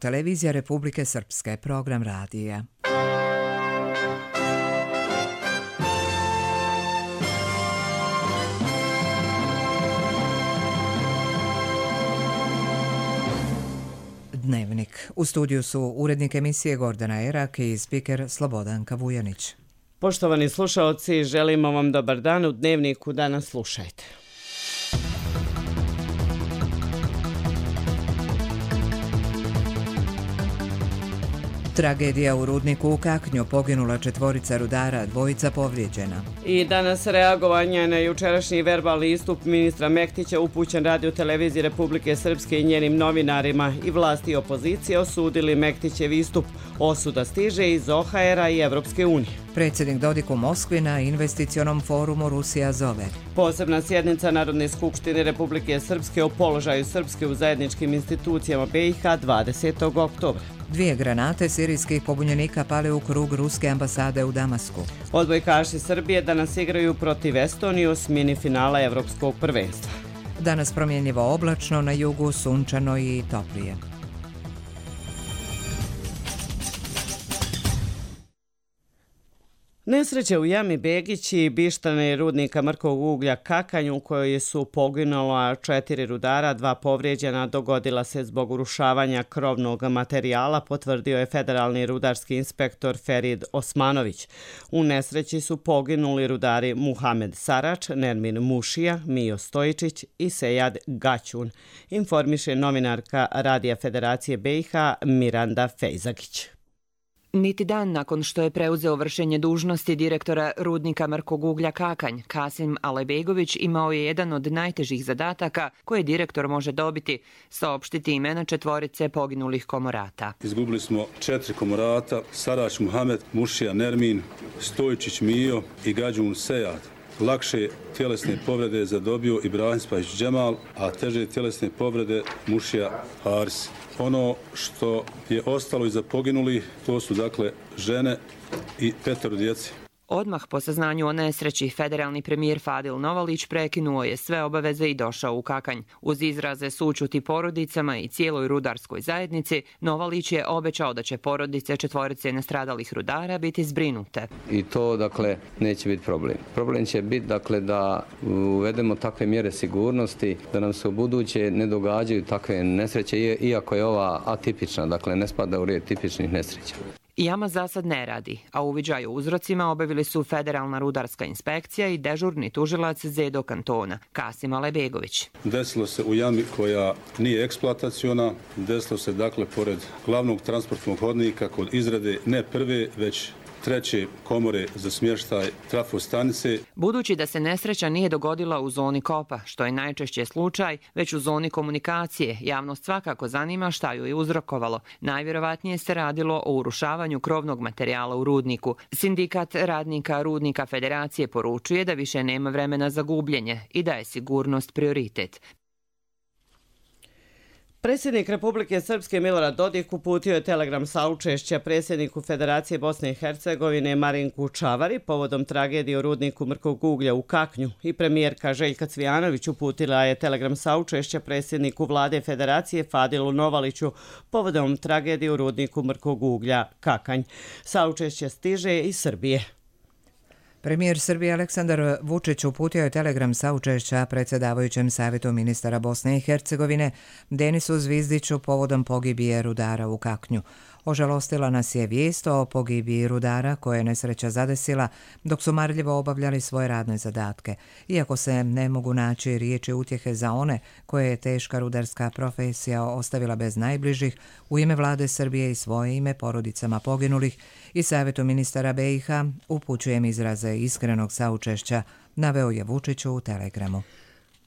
televizija Republike Srpske, program radija. Dnevnik. U studiju su urednik emisije Gordana Erak i spiker Slobodanka Vujanić. Poštovani slušaoci, želimo vam dobar dan. U Dnevniku danas slušajte. Tragedija u rudniku u Kaknju, poginula 4 rudara, 2 povrijeđena. I danas reagovanje na jučerašnji verbalni istup ministra Mektića upućen Radio televiziji Republike Srpske i njenim novinarima. I vlasti i opozicije osudili Mektićev istup. Osuda stiže iz OHR-a i Evropske unije. Predsjednik Dodik u Moskvi na investicionom forumu Rusija zove. Posebna sjednica Narodne skupštine Republike Srpske o položaju Srpske u zajedničkim institucijama BiH 20. oktobra. 2 granate sirijskih pobunjenika pale u krug ruske ambasade u Damasku. Odbojkaši Srbije danas igraju protiv Estonije u osmini finala Evropskog prvenstva. Danas promjenjivo oblačno, na jugu sunčano i toplije. Nesreća u jami Begić i Bištane rudnika mrkog uglja Kakanj u kojoj su poginula 4 rudara, 2 povrijeđena, dogodila se zbog urušavanja krovnog materijala, potvrdio je federalni rudarski inspektor Ferid Osmanović. U nesreći su poginuli rudari Muhamed Sarač, Nermin Mušija, Mijo Stojičić i Sejad Gaćun, informiše novinarka Radija Federacije BiH Miranda Fejzagić. Niti dan nakon što je preuzeo vršenje dužnosti direktora rudnika mrkog uglja Kakanj, Kasim Alebegović imao je jedan od najtežih zadataka koje direktor može dobiti, saopštiti imena 4 poginulih komorata. Izgubili smo 4 komorata, Sarač Muhamed, Mušija Nermin, Stojičić Mijo i Gađun Sejad. Lakše tjelesne povrede je zadobio Ibrahim Spajić Džemal, a teže tjelesne povrede Mušija Haris. Ono što je ostalo iza poginulih, to su dakle žene i 5 djece. Odmah po saznanju o nesreći, federalni premijer Fadil Novalić prekinuo je sve obaveze i došao u Kakanj. Uz izraze sućuti porodicama i cijeloj rudarskoj zajednici, Novalić je obećao da će porodice 4 nastradalih rudara biti zbrinute. I to dakle neće biti problem. Problem će biti dakle da uvedemo takve mjere sigurnosti, da nam se u buduće ne događaju takve nesreće, iako je ova atipična, dakle ne spada u red tipičnih nesreća. Jama za sad ne radi, a uviđaj o uzrocima obavili su Federalna rudarska inspekcija i dežurni tužilac Zedo kantona, Kasim Alebegović. Desilo se u jami koja nije eksploataciona, desilo se dakle pored glavnog transportnog hodnika kod izrade ne prve, već 3. komore za smještaj trafostanice. Budući da se nesreća nije dogodila u zoni kopa, što je najčešće slučaj, već u zoni komunikacije, javnost svakako zanima šta ju je uzrokovalo. Najvjerovatnije se radilo o urušavanju krovnog materijala u rudniku. Sindikat radnika rudnika Federacije poručuje da više nema vremena za gubljenje i da je sigurnost prioritet. Predsjednik Republike Srpske Milorad Dodik uputio je telegram saučešća predsjedniku Federacije Bosne i Hercegovine Marinku Čavari povodom tragedije u rudniku mrkog uglja u Kaknju i premijerka Željka Cvijanović uputila je telegram saučešća predsjedniku vlade Federacije Fadilu Novaliću povodom tragedije u rudniku mrkog uglja Kakanj. Saučešće stiže iz Srbije. Premijer Srbije Aleksandar Vučić uputio je telegram saučešća predsjedavajućem savjetu ministara Bosne i Hercegovine Denisu Zvizdiću povodom pogibije rudara u Kaknju. Ožalostila nas je vijest o pogibiji rudara koje je nesreća zadesila dok su marljivo obavljali svoje radne zadatke. Iako se ne mogu naći riječi utjehe za one koje je teška rudarska profesija ostavila bez najbližih, u ime vlade Srbije i svoje ime porodicama poginulih i savjetu ministara BiH upućujem izraze iskrenog saučešća, naveo je Vučić u telegramu.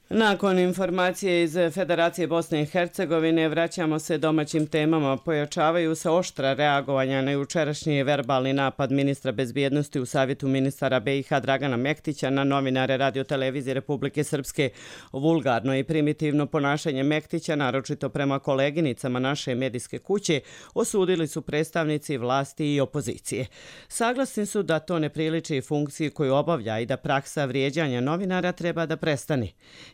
Nakon informacije iz Federacije Bosne i Hercegovine vraćamo se domaćim temama. Pojačavaju se oštra reagovanja na jučerašnji verbalni napad ministra bezbjednosti u savjetu ministara BiH Dragana Mektića na novinare Radio televizije Republike Srpske. Vulgarno i primitivno ponašanje Mektića, naročito prema koleginicama naše medijske kuće, osudili su predstavnici vlasti i opozicije. Saglasni su da to ne priliči funkciji koju obavlja i da praksa vrijeđanja novinara treba da prestane.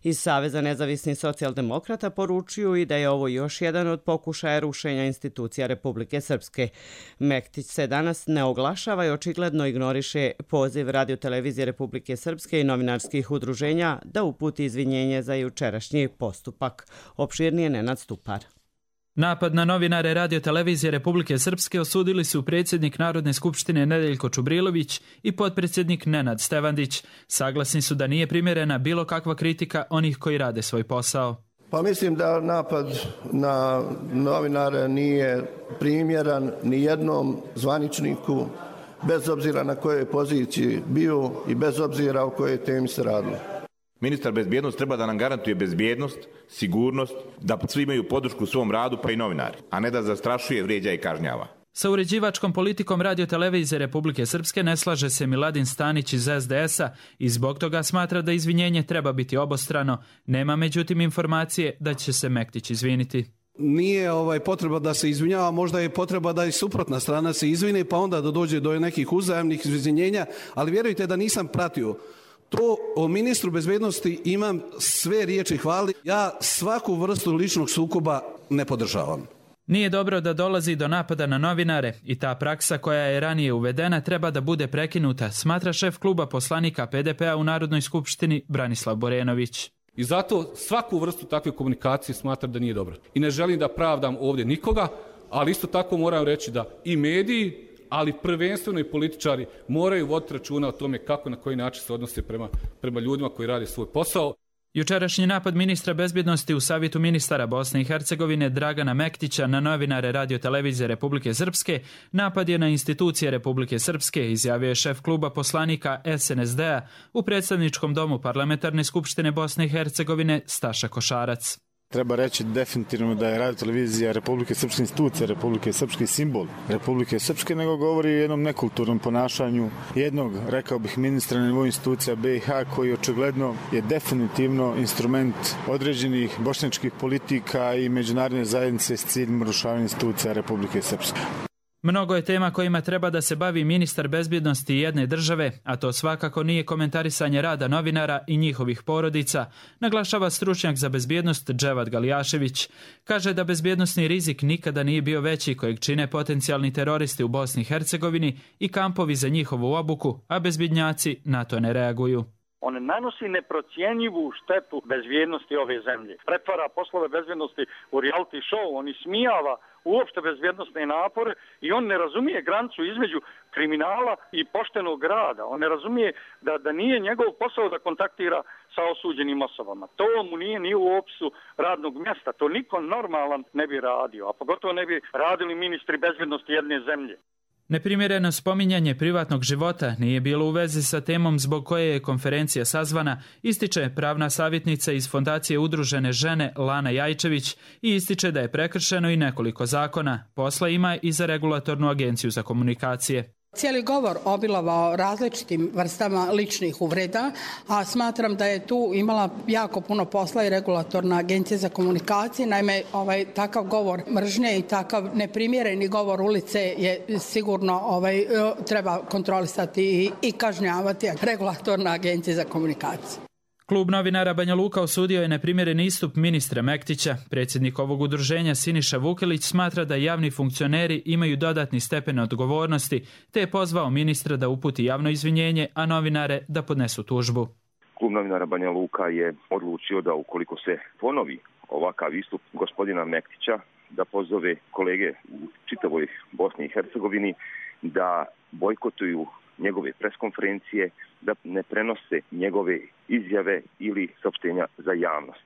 Iz Saveza nezavisnih socijaldemokrata poručuju i da je ovo još jedan od pokušaja rušenja institucija Republike Srpske. Mektić se danas ne oglašava i očigledno ignoriše poziv Radio-televizije Republike Srpske i novinarskih udruženja da uputi izvinjenje za jučerašnji postupak. Opširnije Nenad Stupar. Napad na novinare Radio-televizije Republike Srpske osudili su predsjednik Narodne skupštine Nedeljko Čubrilović i potpredsjednik Nenad Stevandić. Saglasni su da nije primjerena bilo kakva kritika onih koji rade svoj posao. Pa mislim da napad na novinare nije primjeran ni jednom zvaničniku, bez obzira na kojoj poziciji bio i bez obzira o kojoj temi se radilo. Ministar bezbjednosti treba da nam garantuje bezbjednost, sigurnost, da svi imaju podršku u svom radu, pa i novinari, a ne da zastrašuje, vrijeđa i kažnjava. Sa uređivačkom politikom Radio-televizije Republike Srpske ne slaže se Miladin Stanić iz SDS-a i zbog toga smatra da izvinjenje treba biti obostrano. Nema međutim informacije da će se Mektić izviniti. Nije potreba da se izvinjava, možda je potreba da i suprotna strana se izvini, pa onda da dođe do nekih uzajamnih izvinjenja, ali vjerujte da nisam pratio. To o ministru bezbjednosti imam sve riječi hvali. Ja svaku vrstu ličnog sukoba ne podržavam. Nije dobro da dolazi do napada na novinare i ta praksa koja je ranije uvedena treba da bude prekinuta, smatra šef kluba poslanika PDP-a u Narodnoj skupštini Branislav Borenović. I zato svaku vrstu takve komunikacije smatram da nije dobro. I ne želim da pravdam ovdje nikoga, ali isto tako moram reći da i mediji, ali prvenstveno i političari moraju voditi računa o tome kako na koji način se odnose prema ljudima koji rade svoj posao. Jučerašnji napad ministra bezbjednosti u Savjetu ministara Bosne i Hercegovine Dragana Mektića na novinare Radio-televizije Republike Srpske napad je na institucije Republike Srpske, izjavio je šef kluba poslanika SNSD-a u predstavničkom domu Parlamentarne skupštine Bosne i Hercegovine Staša Košarac. Treba reći definitivno da je Radio-televizija Republike Srpske institucija, Republike Srpske simbol Republike Srpske, nego govori o jednom nekulturnom ponašanju jednog, rekao bih, ministra na nivou institucija BiH koji očigledno je definitivno instrument određenih bošnjačkih politika i međunarodne zajednice s ciljem rušavanja institucija Republike Srpske. Mnogo je tema kojima treba da se bavi ministar bezbjednosti jedne države, a to svakako nije komentarisanje rada novinara i njihovih porodica, naglašava stručnjak za bezbjednost Dževad Galijašević. Kaže da bezbjednosni rizik nikada nije bio veći kojeg čine potencijalni teroristi u Bosni i Hercegovini i kampovi za njihovu obuku, a bezbjednjaci na to ne reaguju. On nanosi neprocjenjivu štetu bezbjednosti ove zemlje. Pretvara poslove bezbjednosti u reality show, on ismijava uopšte bezbjednostne napore i on ne razumije granicu između kriminala i poštenog rada. On ne razumije da nije njegov posao da kontaktira sa osuđenim osobama. To mu nije ni u opisu radnog mjesta. To niko normalan ne bi radio, a pogotovo ne bi radili ministri bezbjednosti jedne zemlje. Neprimjereno spominjanje privatnog života nije bilo u vezi sa temom zbog koje je konferencija sazvana, ističe pravna savjetnica iz Fondacije Udružene žene Lana Jajčević i ističe da je prekršeno i nekoliko zakona. Posla ima i za Regulatornu agenciju za komunikacije. Cijeli govor obilovao različitim vrstama ličnih uvreda, a smatram da je tu imala jako puno posla i Regulatorna agencija za komunikacije. Naime, takav govor mržnje i takav neprimjereni govor ulice je sigurno treba kontrolisati i kažnjavati Regulatorna agencija za komunikacije. Klub novinara Banja Luka osudio je neprimjeren istup ministra Mektića. Predsjednik ovog udruženja Siniša Vukelić smatra da javni funkcioneri imaju dodatni stepen odgovornosti, te je pozvao ministra da uputi javno izvinjenje, a novinare da podnesu tužbu. Klub novinara Banja Luka je odlučio da ukoliko se ponovi ovakav istup gospodina Mektića, da pozove kolege u čitavoj Bosni i Hercegovini da bojkotuju njegove preskonferencije, da ne prenose njegove izjave ili saopštenja za javnost.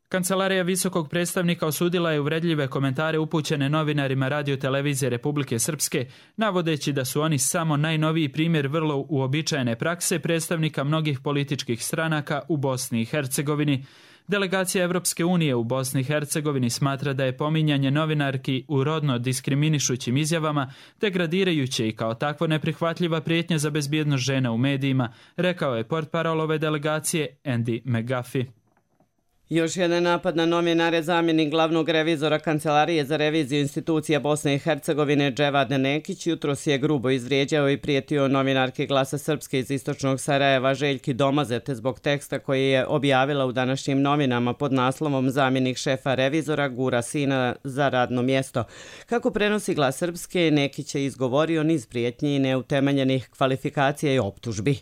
Kancelarija visokog predstavnika osudila je uvredljive komentare upućene novinarima Radio-televizije Republike Srpske, navodeći da su oni samo najnoviji primjer vrlo uobičajene prakse predstavnika mnogih političkih stranaka u Bosni i Hercegovini. Delegacija Evropske unije u Bosni i Hercegovini smatra da je pominjanje novinarki u rodno diskriminišućim izjavama degradirajuće i kao takvo neprihvatljiva prijetnja za bezbjednost žena u medijima, rekao je portparol ove delegacije Andy McGuffey. Još jedan napad na novinare. Zamjenik glavnog revizora Kancelarije za reviziju institucija Bosne i Hercegovine Dževad Nekić jutros je grubo izvrijeđao i prijetio novinarki Glasa Srpske iz istočnog Sarajeva Željki Domazete zbog teksta koji je objavila u današnjim novinama pod naslovom Zamjenik šefa revizora gura sina za radno mjesto. Kako prenosi Glas Srpske, Nekić je izgovorio niz prijetnji i neutemeljenih kvalifikacija i optužbi.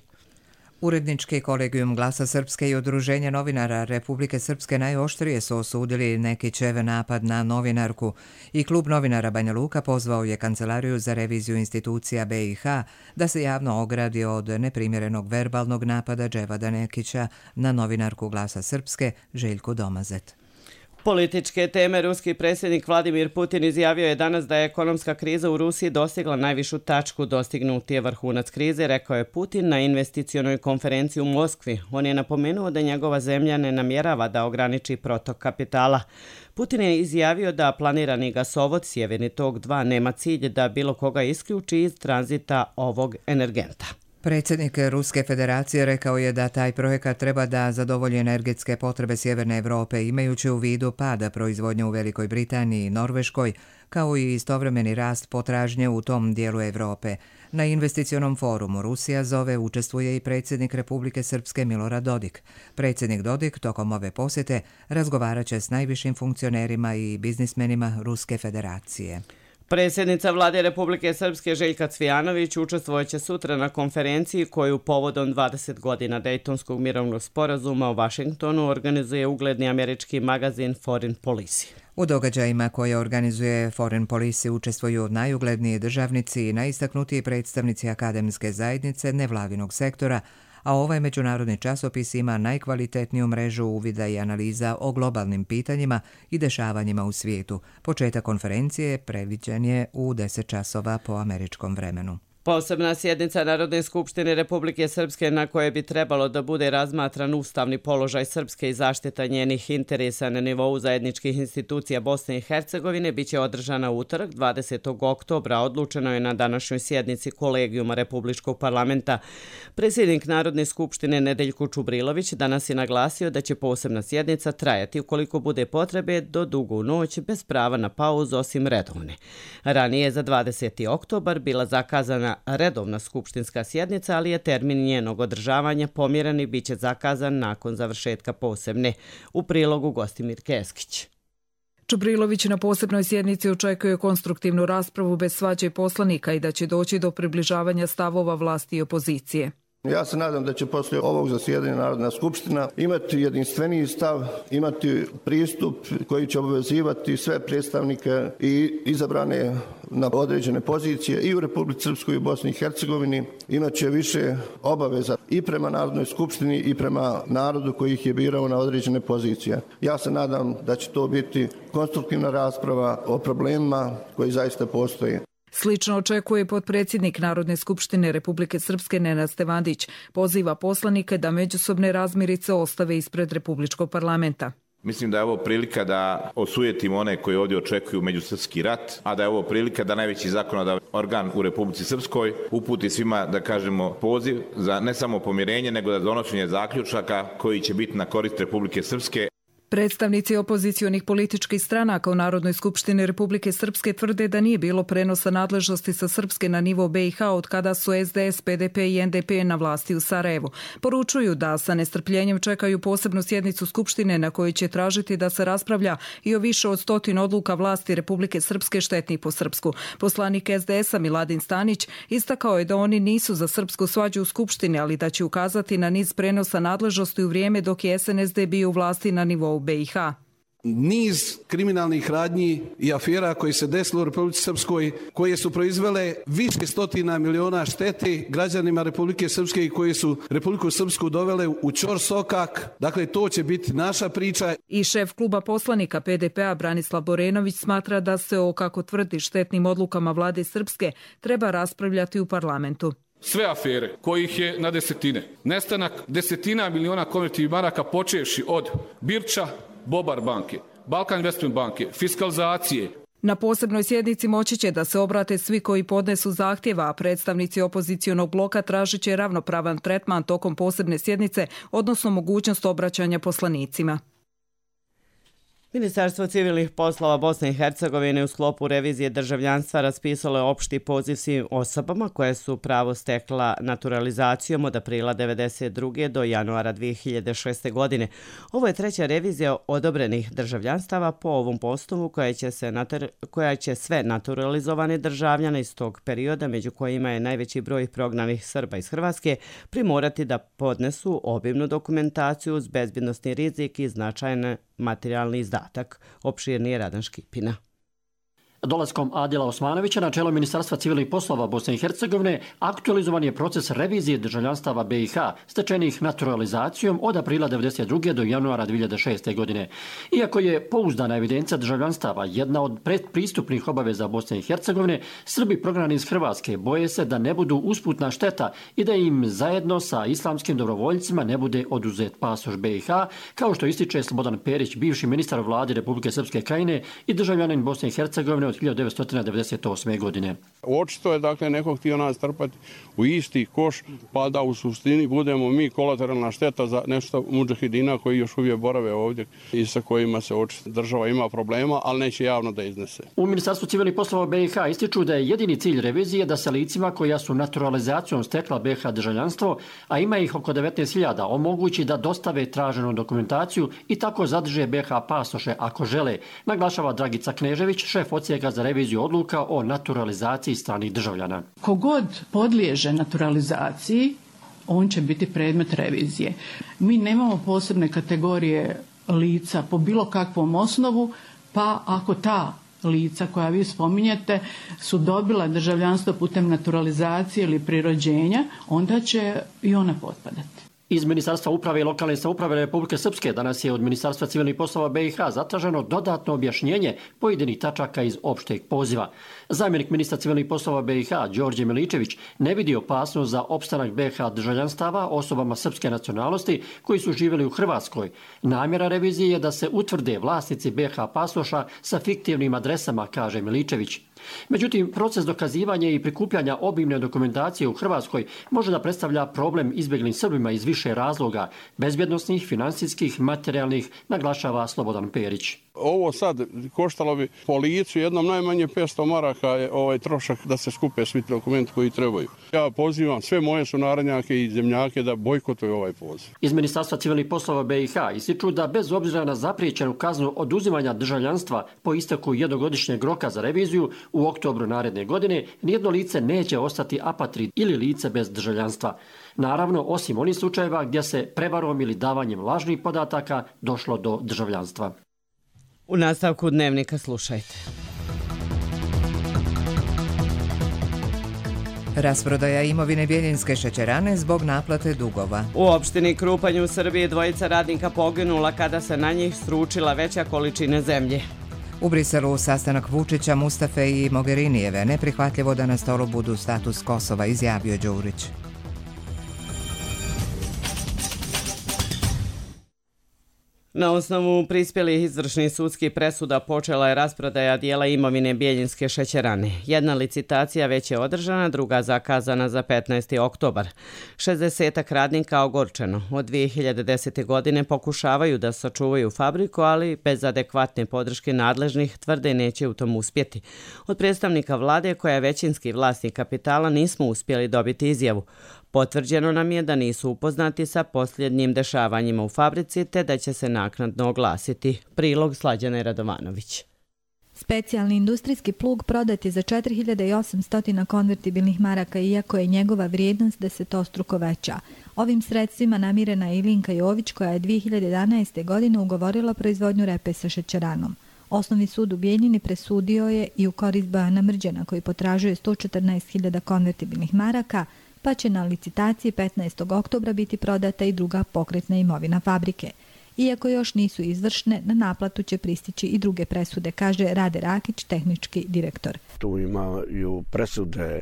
Urednički kolegijum Glasa Srpske i Udruženje novinara Republike Srpske najoštrije su osudili Nekićev napad na novinarku i klub novinara Banja Luka pozvao je Kancelariju za reviziju institucija BiH da se javno ogradi od neprimjerenog verbalnog napada Dževada Nekića na novinarku Glasa Srpske Željku Domazet. Političke teme. Ruski predsjednik Vladimir Putin izjavio je danas da je ekonomska kriza u Rusiji dostigla najvišu tačku. Dostignut je vrhunac krize, rekao je Putin na investicionoj konferenciji u Moskvi. On je napomenuo da njegova zemlja ne namjerava da ograniči protok kapitala. Putin je izjavio da planirani gasovod Sjeverni tok 2 nema cilj da bilo koga isključi iz tranzita ovog energenta. Predsjednik Ruske federacije rekao je da taj projekat treba da zadovolji energetske potrebe Sjeverne Evrope, imajući u vidu pada proizvodnje u Velikoj Britaniji i Norveškoj, kao i istovremeni rast potražnje u tom dijelu Evrope. Na investicionom forumu Rusija zove učestvuje i predsjednik Republike Srpske Milorad Dodik. Predsjednik Dodik tokom ove posjete razgovarat će s najvišim funkcionerima i biznismenima Ruske federacije. Predsjednica Vlade Republike Srpske Željka Cvijanović učestvojeće sutra na konferenciji koju povodom 20 godina Dejtonskog mirovnog sporazuma u Vašingtonu organizuje ugledni američki magazin Foreign Policy. U događajima koje organizuje Foreign Policy učestvuju najugledniji državnici i najistaknutiji predstavnici akademske zajednice nevladinog sektora, a ovaj međunarodni časopis ima najkvalitetniju mrežu uvida i analiza o globalnim pitanjima i dešavanjima u svijetu. Početak konferencije predviđen je u 10 časova po američkom vremenu. Posebna sjednica Narodne skupštine Republike Srpske na koje bi trebalo da bude razmatran ustavni položaj Srpske i zaštita njenih interesa na nivou zajedničkih institucija Bosne i Hercegovine biće održana utorak 20. oktobra. Odlučeno je na današnjoj sjednici Kolegijuma Republičkog parlamenta. Predsjednik Narodne skupštine Nedeljko Čubrilović danas je naglasio da će posebna sjednica trajati ukoliko bude potrebe do dugu noć bez prava na pauzu osim redovne. Ranije za 20. oktobar bila zakazana redovna skupštinska sjednica, ali je termin njenog održavanja pomjeren i bit će zakazan nakon završetka posebne. U prilogu Gostimir Keskić. Čubrilović na posebnoj sjednici očekuje konstruktivnu raspravu bez svađe poslanika i da će doći do približavanja stavova vlasti i opozicije. Ja se nadam da će poslije ovog zasjedanja Narodna skupština imati jedinstveniji stav, imati pristup koji će obvezivati sve predstavnike i izabrane na određene pozicije i u Republici Srpskoj i u Bosni i Hercegovini. Imaće više obaveza i prema Narodnoj skupštini i prema narodu koji ih je birao na određene pozicije. Ja se nadam da će to biti konstruktivna rasprava o problemima koji zaista postoje. Slično očekuje potpredsjednik Narodne skupštine Republike Srpske Nenad Stevandić. Poziva poslanike da međusobne razmirice ostave ispred Republičkog parlamenta. Mislim da je ovo prilika da osujetimo one koji ovdje očekuju međusrpski rat, a da je ovo prilika da najveći zakonodavni organ u Republici Srpskoj uputi svima, da kažemo, poziv za ne samo pomirenje, nego da donošenje zaključaka koji će biti na korist Republike Srpske. Predstavnici opozicionih političkih stranaka u Narodnoj skupštini Republike Srpske tvrde da nije bilo prenosa nadležnosti sa Srpske na nivo BiH od kada su SDS, PDP i NDP na vlasti u Sarajevu. Poručuju da sa nestrpljenjem čekaju posebnu sjednicu Skupštine na kojoj će tražiti da se raspravlja i o više od 100 odluka vlasti Republike Srpske štetnih po Srpsku. Poslanik SDS-a Miladin Stanić istakao je da oni nisu za srpsku svađu u Skupštini, ali da će ukazati na niz prenosa nadležnosti u vrijeme dok je SNSD bio u vlasti na nivou BiH. Niz kriminalnih radnji i afera koji se desilo u Republici Srpskoj, koje su proizvele više stotina miliona štete građanima Republike Srpske i koje su Republiku Srpsku dovele u ćorsokak. Dakle, to će biti naša priča. I šef kluba poslanika PDP-a Branislav Borenović smatra da se o, kako tvrdi, štetnim odlukama vlade Srpske treba raspravljati u parlamentu. Sve afere kojih je na desetine, nestanak desetina miliona konvertivnih maraka počevši od Birča, Bobar banke, Balkan Investment banke, fiskalizacije. Na posebnoj sjednici moći će da se obrate svi koji podnesu zahtjeva, a predstavnici opozicionog bloka tražit će ravnopravan tretman tokom posebne sjednice, odnosno mogućnost obraćanja poslanicima. Ministarstvo civilnih poslova Bosne i Hercegovine u sklopu revizije državljanstva raspisalo je opšti poziv svim osobama koje su pravo stekla naturalizacijom od aprila 1992. do januara 2006. godine. Ovo je treća revizija odobrenih državljanstava po ovom postupku koja će sve naturalizovane državljane iz tog perioda, među kojima je najveći broj prognanih Srba iz Hrvatske, primorati da podnesu obimnu dokumentaciju uz bezbjednosni rizik i značajne materijalni izdatak. Opširnije Radan Škipina. Dolaskom Adila Osmanovića na čelo Ministarstva civilnih poslova Bosne i Hercegovine aktualizovan je proces revizije državljanstava BiH stečenih naturalizacijom od aprila 1992. do januara 2006. godine. Iako je pouzdana evidencija državljanstava jedna od predpristupnih obaveza Bosne i Hercegovine, Srbi prognani iz Hrvatske boje se da ne budu usputna šteta i da im zajedno sa islamskim dobrovoljcima ne bude oduzet pasoš BiH, kao što ističe Slobodan Perić, bivši ministar vlade Republike Srpske Krajine i državljanin Bosne i Hercegovine od 1998. godine. Očito je dakle neko htio nas trpati u isti koš, pa da u suštini budemo mi kolateralna šteta za nešto mudžahidina koji još uvijek borave ovdje i sa kojima se očito država ima problema, ali neće javno da iznese. U Ministarstvu civilnih poslova BiH ističu da je jedini cilj revizije da se licima koja su naturalizacijom stekla BiH državljanstvo, a ima ih oko 19.000, omogući da dostave traženu dokumentaciju i tako zadrže BiH pasoše ako žele, naglašava Dragica Knežević, šef odsjeka za reviziju odluka o naturalizaciji stranih državljana. Kogod podliježe naturalizaciji, on će biti predmet revizije. Mi nemamo posebne kategorije lica po bilo kakvom osnovu, pa ako ta lica koja vi spominjete su dobila državljanstvo putem naturalizacije ili prirođenja, onda će i ona potpadati. Iz Ministarstva uprave i lokalne samouprave Republike Srpske danas je od Ministarstva civilnih poslova BiH zatraženo dodatno objašnjenje pojedinih tačaka iz opšteg poziva. Zamjenik ministra civilnih poslova BiH Đorđe Miličević ne vidi opasnost za opstanak BiH državljanstava osobama srpske nacionalnosti koji su živjeli u Hrvatskoj. Namjera revizije je da se utvrde vlasnici BiH pasoša sa fiktivnim adresama, kaže Miličević. Međutim, proces dokazivanja i prikupljanja obimne dokumentacije u Hrvatskoj može da predstavlja problem izbjeglim Srbima iz više razloga, bezbjednosnih, financijskih, materijalnih, naglašava Slobodan Perić. Ovo sad koštalo bi po licu jednom najmanje 500 maraka je trošak da se skupe svi dokumenti koji trebaju. Ja pozivam sve moje sunarodnjake i zemljake da bojkotuju ovaj poziv. Iz Ministarstva civilnih poslova BiH ističu da bez obzira na zapriječenu kaznu oduzimanja državljanstva po isteku jednogodišnjeg roka za reviziju u oktobru naredne godine, nijedno lice neće ostati apatrid ili lice bez državljanstva. Naravno, osim onih slučajeva gdje se prevarom ili davanjem lažnih podataka došlo do državljanstva. U nastavku dnevnika slušajte. Rasprodaja imovine Bjeljinske šećerane zbog naplate dugova. U opštini Krupanj u Srbiji dvojica radnika poginula kada se na njih sručila veća količina zemlje. U Briselu sastanak Vučića, Mustafe i Mogherinijeve. Neprihvatljivo da na stolu budu status Kosova, izjavio Đurić. Na osnovu prispjelih izvršnih sudskih presuda počela je rasprodaja dijela imovine Bjeljinske šećerane. Jedna licitacija već je održana, druga zakazana za 15. oktobar. 60 radnika ogorčeno. Od 2010. godine pokušavaju da sačuvaju fabriku, ali bez adekvatne podrške nadležnih tvrde neće u tom uspjeti. Od predstavnika vlade, koja je većinski vlasnik kapitala, nismo uspjeli dobiti izjavu. Potvrđeno nam je da nisu upoznati sa posljednjim dešavanjima u fabrici te da će se naknadno oglasiti. Prilog Slađane Radovanović. Specijalni industrijski plug prodat je za 4800 konvertibilnih maraka, iako je njegova vrijednost desetostruko veća. Ovim sredstvima namirena je Ilinka Jović, koja je 2011. godine ugovorila proizvodnju repe sa šećeranom. Osnovni sud u Bijeljini presudio je i u korist Bojana Mrđana, koji potražuje 114.000 konvertibilnih maraka, pa će na licitaciji 15. oktobra biti prodata i druga pokretna imovina fabrike. Iako još nisu izvršne, na naplatu će pristići i druge presude, kaže Rade Rakić, tehnički direktor. Tu imaju presude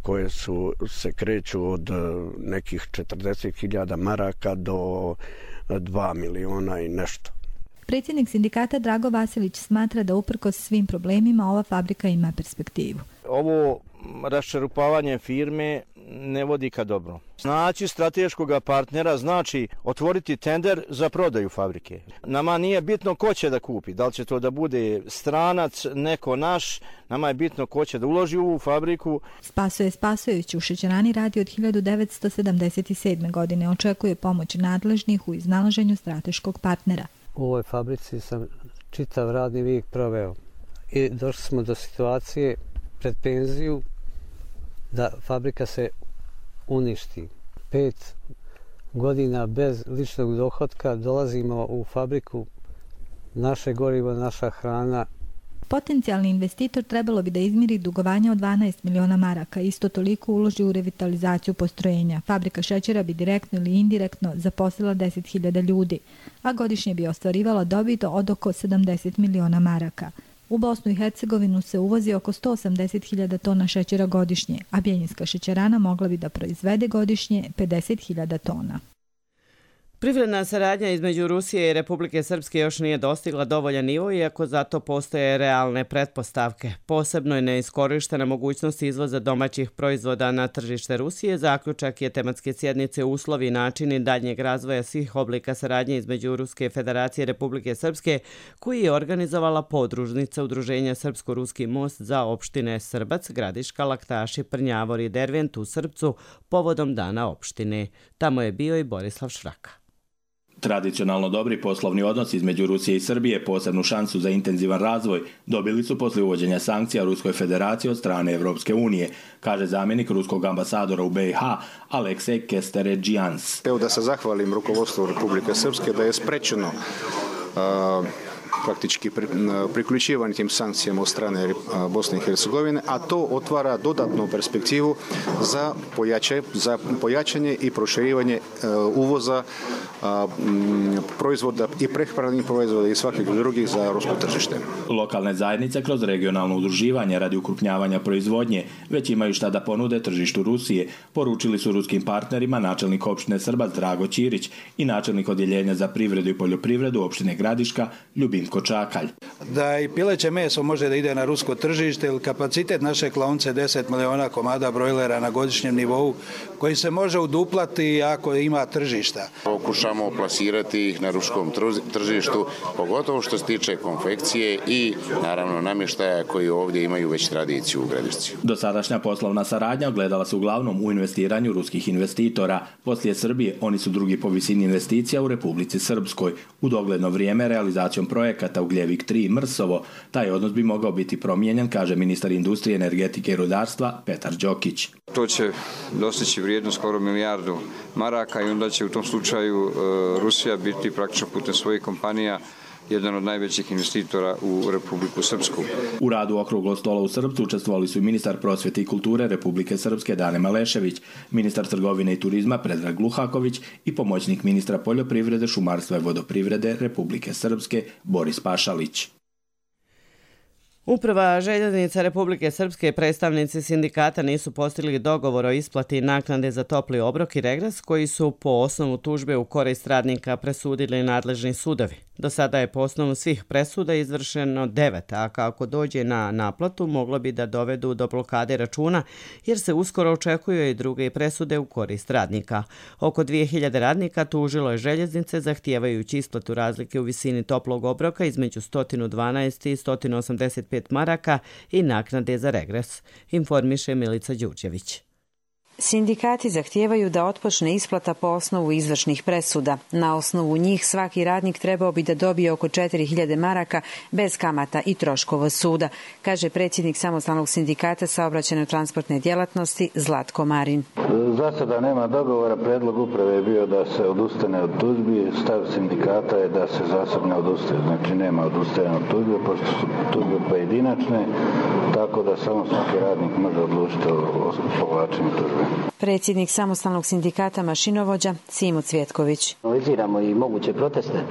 koje se kreću od nekih 40.000 maraka do 2 miliona i nešto. Predsjednik sindikata Drago Vasilić smatra da uprkos svim problemima ova fabrika ima perspektivu. Ovo raščerupavanje firme ne vodi ka dobro. Znači strateškog partnera znači otvoriti tender za prodaju fabrike. Nama nije bitno ko će da kupi, da li će to da bude stranac, neko naš, nama je bitno ko će da uloži u fabriku. Spasoje Spasojević u šećerani radi od 1977. godine. Očekuje pomoć nadležnih u iznalaženju strateškog partnera. U ovoj fabrici sam čitav radni vijek proveo i došli smo do situacije pred penziju da fabrika se uništi. 5 godina bez ličnog dohotka dolazimo u fabriku, naše gorivo, naša hrana. Potencijalni investitor trebalo bi da izmiri dugovanja od 12 miliona maraka, isto toliko uloži u revitalizaciju postrojenja. Fabrika šećera bi direktno ili indirektno zaposlila 10.000 ljudi, a godišnje bi ostvarivala dobit od oko 70 miliona maraka. U Bosnu i Hercegovinu se uvozi oko 180.000 tona šećera godišnje, a Bjeljinska šećerana mogla bi da proizvede godišnje 50.000 tona. Privredna saradnja između Rusije i Republike Srpske još nije dostigla dovoljan nivo, iako zato postoje realne pretpostavke. Posebno je neiskorištena mogućnost izvoza domaćih proizvoda na tržište Rusije. Zaključak je tematske sjednice uslovi i načini daljnjeg razvoja svih oblika saradnje između Ruske federacije i Republike Srpske, koji je organizovala podružnica Udruženja Srpsko-Ruski most za opštine Srbac, Gradiška, Laktaši, Prnjavor i Dervent u Srpcu povodom dana opštine. Tamo je bio i Borislav Šraka. Tradicionalno dobri poslovni odnosi između Rusije i Srbije posebnu šansu za intenzivan razvoj dobili su posle uvođenja sankcija Ruskoj federaciji od strane Evropske unije, kaže zamjenik ruskog ambasadora u BiH Aleksej Kesteredžijans. Evo da se zahvalim rukovodstvu Republike Srpske da je sprečeno praktički priključivanje tim sankcijama od strane Bosne i Hercegovine, a to otvara dodatnu perspektivu za pojačanje i proširivanje uvoza proizvoda i prehrambenih proizvoda i svakih drugih za rusko tržište. Lokalne zajednice kroz regionalno udruživanje radi ukrupnjavanja proizvodnje već imaju šta da ponude tržištu Rusije, poručili su ruskim partnerima načelnik opštine Srbac Drago Ćirić i načelnik odjeljenja za privredu i poljoprivredu opštine Gradiška Ljubinko Čakalj. Da i pileće meso može da ide na rusko tržište, ili kapacitet naše klaonice 10 miliona komada brojlera na godišnjem nivou, koji se može uduplati ako ima tržišta. Pokušamo plasirati ih na ruskom tržištu, pogotovo što se tiče konfekcije i naravno namještaja koji ovdje imaju već tradiciju u Gradišci. Dosadašnja poslovna saradnja ogledala se uglavnom u investiranju ruskih investitora. Poslije Srbije oni su drugi po visini investicija u Republici Srpskoj. U dogledno vrijeme realizacijom projekata Ugljevik 3 Mrsovo, taj odnos bi mogao biti promijenjen, kaže ministar industrije, energetike i rudarstva Petar Đokić. To će dostići vrijednost skoro milijardu maraka i onda će u tom slučaju Rusija biti praktično putem svojih kompanija jedan od najvećih investitora u Republiku Srpsku. U radu okruglog stola u Srpcu učestvovali su i ministar prosvjete i kulture Republike Srpske Dane Malešević, ministar trgovine i turizma Predrag Luhaković i pomoćnik ministra poljoprivrede, šumarstva i vodoprivrede Republike Srpske Boris Pašalić. Uprava željeznica Republike Srpske i predstavnici sindikata nisu postigli dogovor o isplati naknade za topli obrok i regres koji su po osnovu tužbe u korist radnika presudili nadležni sudovi. Do sada je po osnovu svih presuda izvršeno 9, a kako dođe na naplatu moglo bi da dovedu do blokade računa jer se uskoro očekuju i druge presude u korist radnika. Oko 2000 radnika tužilo je željeznice zahtijevajući isplatu razlike u visini toplog obroka između 112 i 185 maraka i naknade za regres, informiše Milica Đurđević. Sindikati zahtijevaju da otpočne isplata po osnovu izvršnih presuda. Na osnovu njih svaki radnik trebao bi da dobije oko 4000 maraka bez kamata i troškova suda, kaže predsjednik samostalnog sindikata saobraćajno-transportne djelatnosti Zlatko Marin. Za sada nema dogovora, predlog uprave je bio da se odustane od tužbi, stav sindikata je da se zasad ne odustaje, znači nema odustajanja od tužbe, pošto su tužbe pojedinačne, tako da samo svaki radnik može odlučiti o povlačenju tužbe. Predsjednik samostalnog sindikata mašinovođa Simo Cvjetković. Analiziramo i moguće proteste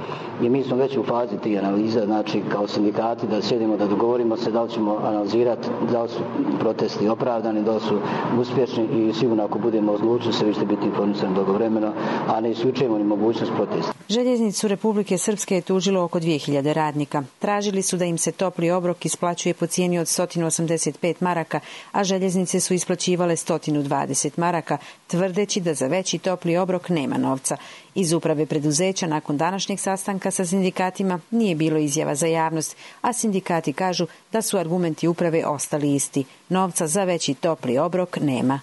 i mi smo već u fazi tih analiza, znači kao sindikati da sjedimo, da dogovorimo se da li ćemo analizirati da li su protesti opravdani, da li su uspješni i sigurno ako budemo odlučili se vi ćete biti informisani dogovoreno, a ne isključujemo ni mogućnost protesta. Željeznicu Republike Srpske je tužilo oko 2000 radnika. Tražili su da im se topli obrok isplaćuje po cijeni od 185 maraka, a željeznice su isplaćivale 120 maraka, tvrdeći da za veći topli obrok nema novca. Iz uprave preduzeća nakon današnjeg sastanka sa sindikatima nije bilo izjava za javnost, a sindikati kažu da su argumenti uprave ostali isti. Novca za veći topli obrok nema.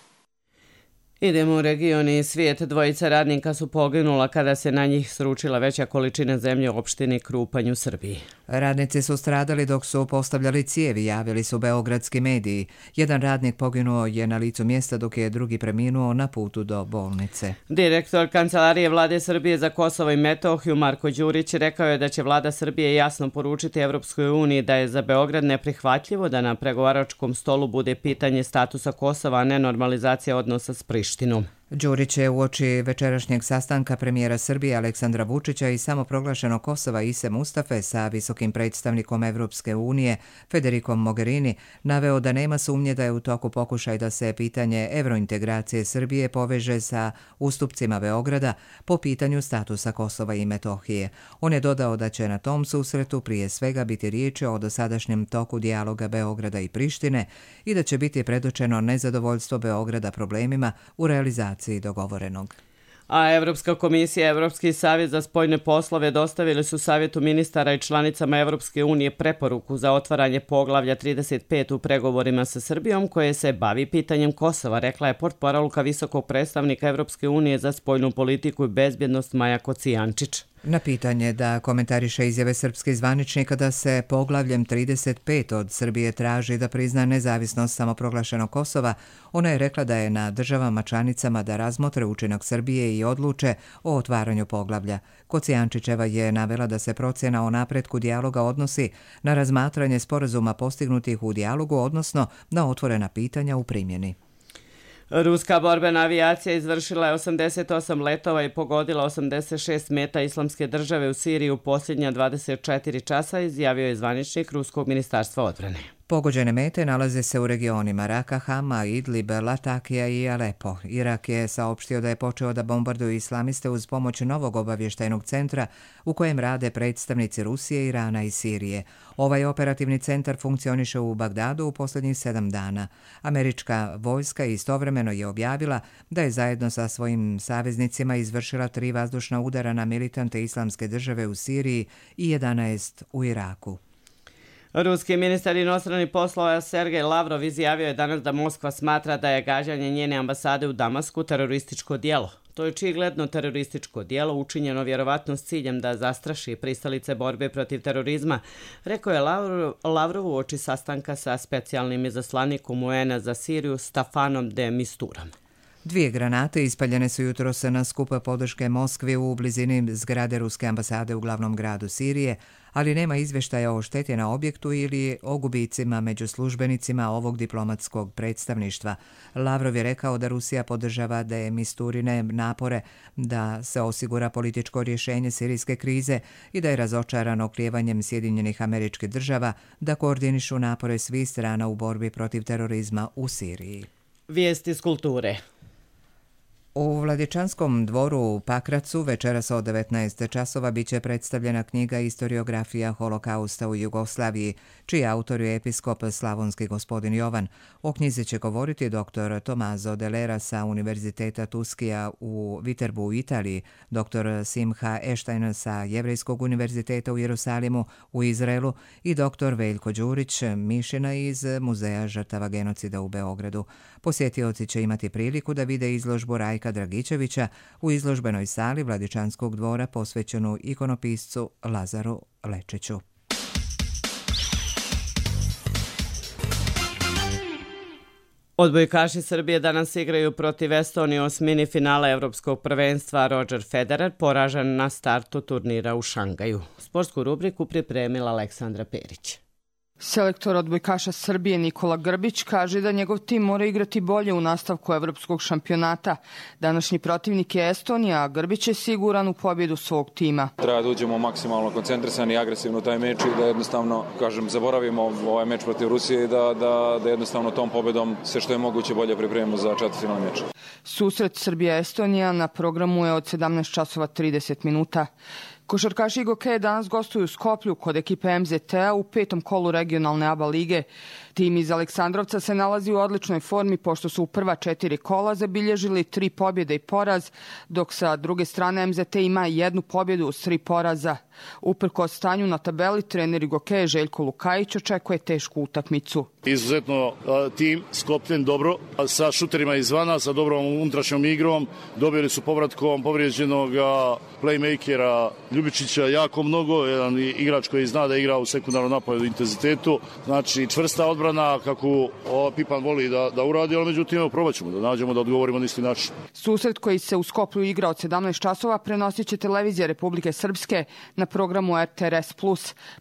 Idemo u region i svijet. Dvojica radnika su poginula kada se na njih sručila veća količina zemlje u opštini Krupanj u Srbiji. Radnici su stradali dok su postavljali cijevi, javili su beogradski mediji. Jedan radnik poginuo je na licu mjesta dok je drugi preminuo na putu do bolnice. Direktor Kancelarije Vlade Srbije za Kosovo i Metohiju Marko Đurić rekao je da će Vlada Srbije jasno poručiti Evropskoj uniji da je za Beograd neprihvatljivo da na pregovaračkom stolu bude pitanje statusa Kosova, a ne normalizacija odnosa s Prištinom. Đurić je uoči večerašnjeg sastanka premijera Srbije Aleksandra Vučića i samoproglašenog Kosova Ise Mustafe sa visokim predstavnikom Evropske unije Federikom Mogherini naveo da nema sumnje da je u toku pokušaj da se pitanje evrointegracije Srbije poveže sa ustupcima Beograda po pitanju statusa Kosova i Metohije. On je dodao da će na tom susretu prije svega biti riječ o dosadašnjem toku dijaloga Beograda i Prištine i da će biti predočeno nezadovoljstvo Beograda problemima u realizaciji dogovorenog. A Evropska komisija i Evropski savjet za spoljne poslove dostavili su Savjetu ministara i članicama Evropske unije preporuku za otvaranje poglavlja 35 u pregovorima sa Srbijom koje se bavi pitanjem Kosova, rekla je portparolka visokog predstavnika Evropske unije za spoljnu politiku i bezbjednost Maja Kocijančić. Na pitanje da komentariše izjave srpskih zvaničnika da se poglavljem 35 od Srbije traži da prizna nezavisnost samoproglašenog Kosova, ona je rekla da je na državama članicama da razmotre učinak Srbije i odluče o otvaranju poglavlja. Kocijančićeva je navela da se procjena o napretku dijaloga odnosi na razmatranje sporazuma postignutih u dijalogu, odnosno na otvorena pitanja u primjeni. Ruska borbena avijacija izvršila je 88 letova i pogodila 86 meta Islamske države u Siriji u posljednja 24 časa, izjavio je zvaničnik Ruskog ministarstva odbrane. Pogođene mete nalaze se u regionima Raka, Hama, Idlib, Latakija i Alepo. Irak je saopštio da je počeo da bombarduje islamiste uz pomoć novog obavještajnog centra u kojem rade predstavnici Rusije, Irana i Sirije. Ovaj operativni centar funkcioniše u Bagdadu u posljednjih 7 dana. Američka vojska istovremeno je objavila da je zajedno sa svojim saveznicima izvršila 3 vazdušna udara na militante Islamske države u Siriji i 11 u Iraku. Ruski ministar inostranih poslova Sergej Lavrov izjavio je danas da Moskva smatra da je gađanje njene ambasade u Damasku terorističko djelo. To je očigledno terorističko djelo učinjeno vjerovatno s ciljem da zastraši pristalice borbe protiv terorizma, rekao je Lavrov uoči sastanka sa specijalnim izaslanikom UN-a za Siriju Stafanom de Misturom. 2 granate ispaljene su jutros na skupa podrške Moskvi u blizini zgrade Ruske ambasade u glavnom gradu Sirije, ali nema izvještaja o šteti na objektu ili o gubicima među službenicima ovog diplomatskog predstavništva. Lavrov je rekao da Rusija podržava de Misturine napore da se osigura političko rješenje sirijske krize i da je razočaran oklijevanjem Sjedinjenih Američkih Država da koordinišu napore svih strana u borbi protiv terorizma u Siriji. Vijesti iz kulture. U Vladičanskom dvoru u Pakracu večeras od 19 časova biće predstavljena knjiga Istoriografija holokausta u Jugoslaviji, čiji autor je episkop slavonski gospodin Jovan. O knjizi će govoriti dr. Tomaso Delera sa Univerziteta Tuskija u Viterbu u Italiji, dr. Simha Eštajn sa Jevrejskog univerziteta u Jerusalimu u Izraelu i dr. Veljko Đurić Mišina iz Muzeja žrtava genocida u Beogradu. Posjetioci će imati priliku da vide izložbu Rajka Dragičevića u izložbenoj sali Vladičanskog dvora posvećenu ikonopiscu Lazaru Lečiću. Odbojkaši Srbije danas igraju protiv Estonije u osmini finala Evropskog prvenstva. Roger Federer poražen na startu turnira u Šangaju. Sportsku rubriku pripremila Aleksandra Perić. Selektor odbojkaša Srbije Nikola Grbić kaže da njegov tim mora igrati bolje u nastavku evropskog šampionata. Današnji protivnik je Estonija, a Grbić je siguran u pobjedu svog tima. Treba da uđemo maksimalno koncentrisani i agresivno u taj meč i da jednostavno, zaboravimo ovaj meč protiv Rusije i da jednostavno tom pobjedom sve što je moguće bolje pripremimo za četvrtfinalni meč. Susret Srbija-Estonija na programu je od 17:30 minuta. Košarkaši Gokeje danas gostuju u Skoplju kod ekipe MZT-a u 5. kolu regionalne ABA lige. Tim iz Aleksandrovca se nalazi u odličnoj formi pošto su u prva 4 kola zabilježili 3 pobjede i poraz, dok sa druge strane MZT ima 1 pobjedu uz 3 poraza. Uprkos stanju na tabeli, trener Gokeje Željko Lukajić očekuje tešku utakmicu. Izuzetno tim sklopljen dobro, sa šuterima izvana, sa dobrom unutrašnjom igrom. Dobili su povratkom povrijeđenog playmakera Ljubičića jako mnogo, jedan igrač koji zna da igra u sekundarnom napadu intenzitetu. Znači čvrsta odbrana kako Pipan voli da uradi, ali međutim probat ćemo da nađemo da odgovorimo na isti način. Susret koji se u Skoplju igra od 17 časova prenosit će televizija Republike Srpske na programu RTRS+.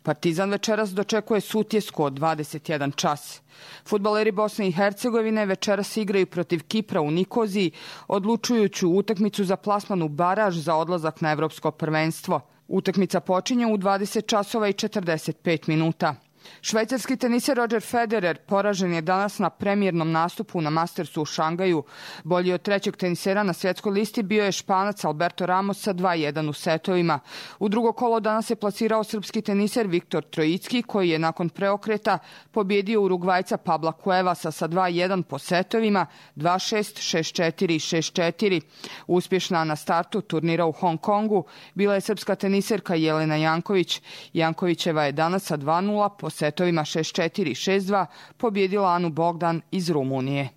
Partizan večeras dočekuje Sutjesku od 21 čas. Fudbaleri Bosne i Hercegovine večeras igraju protiv Kipra u Nikoziji, odlučujuću utakmicu za plasman u baraž za odlazak na evropsko prvenstvo. Utakmica počinje u 20:45 minuta. Švajcarski teniser Roger Federer poražen je danas na premijernom nastupu na Mastersu u Šangaju. Bolji od trećeg tenisera na svjetskoj listi bio je Španac Alberto Ramos sa 2:1 u setovima. U drugo kolo danas je plasirao srpski teniser Viktor Trojicki, koji je nakon preokreta pobjedio Urugvajca Pabla Cuevasa sa 2:1 po setovima, 2:6, 6:4 i 6:4. Uspješna na startu turnira u Hong Kongu bila je srpska teniserka Jelena Janković. Jankovićeva je danas sa 2:0 po setovima 6:4 i 6:2 pobjedila Anu Bogdan iz Rumunije.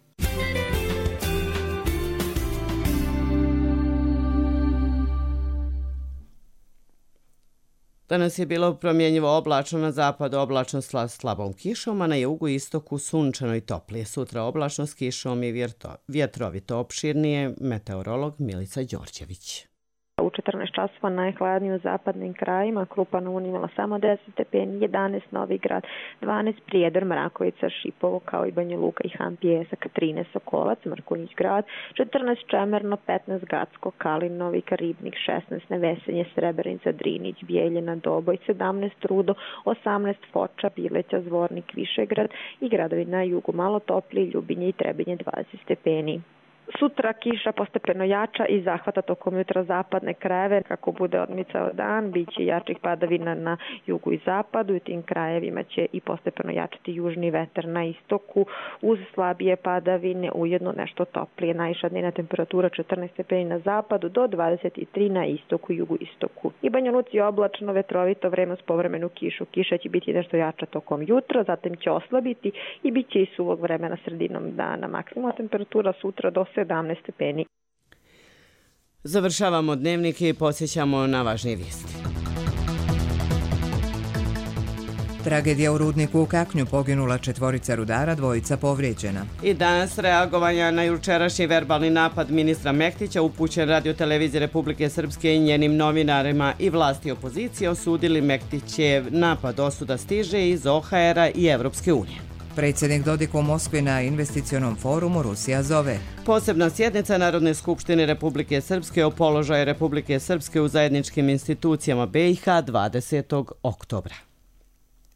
Danas je bilo promjenjivo oblačno, na zapadu oblačno s slabom kišom, a na jugu i istoku sunčano i toplije. Sutra oblačno s kišom i vjetrovito opširnije, meteorolog Milica Đorđević. U 14 časova najhladnije u zapadnim krajima, Krupa na Uni imala samo 10 stepeni, 11 Novi Grad, 12 Prijedor, Mrakovica, Šipovo, kao i Banja Luka i Han Pijesak, 13 Sokolac, Mrkonjić Grad, 14 Čemerno, 15 Gacko, Kalin, Novi Ribnik, 16 Nevesenje, Srebrenica, Drinić, Bijeljina, Doboj, 17 Rudo, 18 Foča, Bileća, Zvornik, Višegrad i gradovi na jugu malo topliji, Ljubinje i Trebinje 20 stepeni. Sutra kiša postepeno jača i zahvata tokom jutra zapadne krajeve. Kako bude odmicao dan, bit će jačih padavina na jugu i zapadu. U tim krajevima će i postepeno jačati južni vetar na istoku. Uz slabije padavine ujedno nešto toplije. Najviša dnevna temperatura 14 stepeni na zapadu do 23 na istoku i jugoistoku. I Banja Luci oblačno, vetrovito vreme uz povremenu kišu. Kiša će biti nešto jača tokom jutra, zatim će oslabiti i bit će i suvog vremena sredinom dana. Maksimalna temperatura sutra do 17 stepeni. Završavamo dnevnik i podsjećamo na važnije vijesti. Tragedija u rudniku u Kaknju, poginula 4 rudara, 2 povrijeđena. I danas reagovanja na jučerašnji verbalni napad ministra Mektića upućen Radio-televizije Republike Srpske i njenim novinarima i vlasti opozicije osudili Mektićev napad. Osuda stiže iz OHR-a i Evropske unije. Predsjednik Dodik u Moskvi na investicionom forumu Rusija zove. Posebna sjednica Narodne skupštine Republike Srpske o položaju Republike Srpske u zajedničkim institucijama BiH 20. oktobra.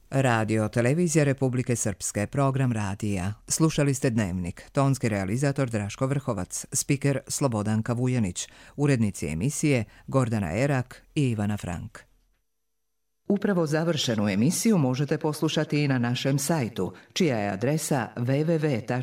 Radio televizija Republike Srpske, program radija. Slušali ste Dnevnik. Tonski realizator Draško Vrhovac, spiker Slobodanka Vujanić, urednici emisije Gordana Erak i Ivana Frank. Upravo završenu emisiju možete poslušati i na našem sajtu, čija je adresa www.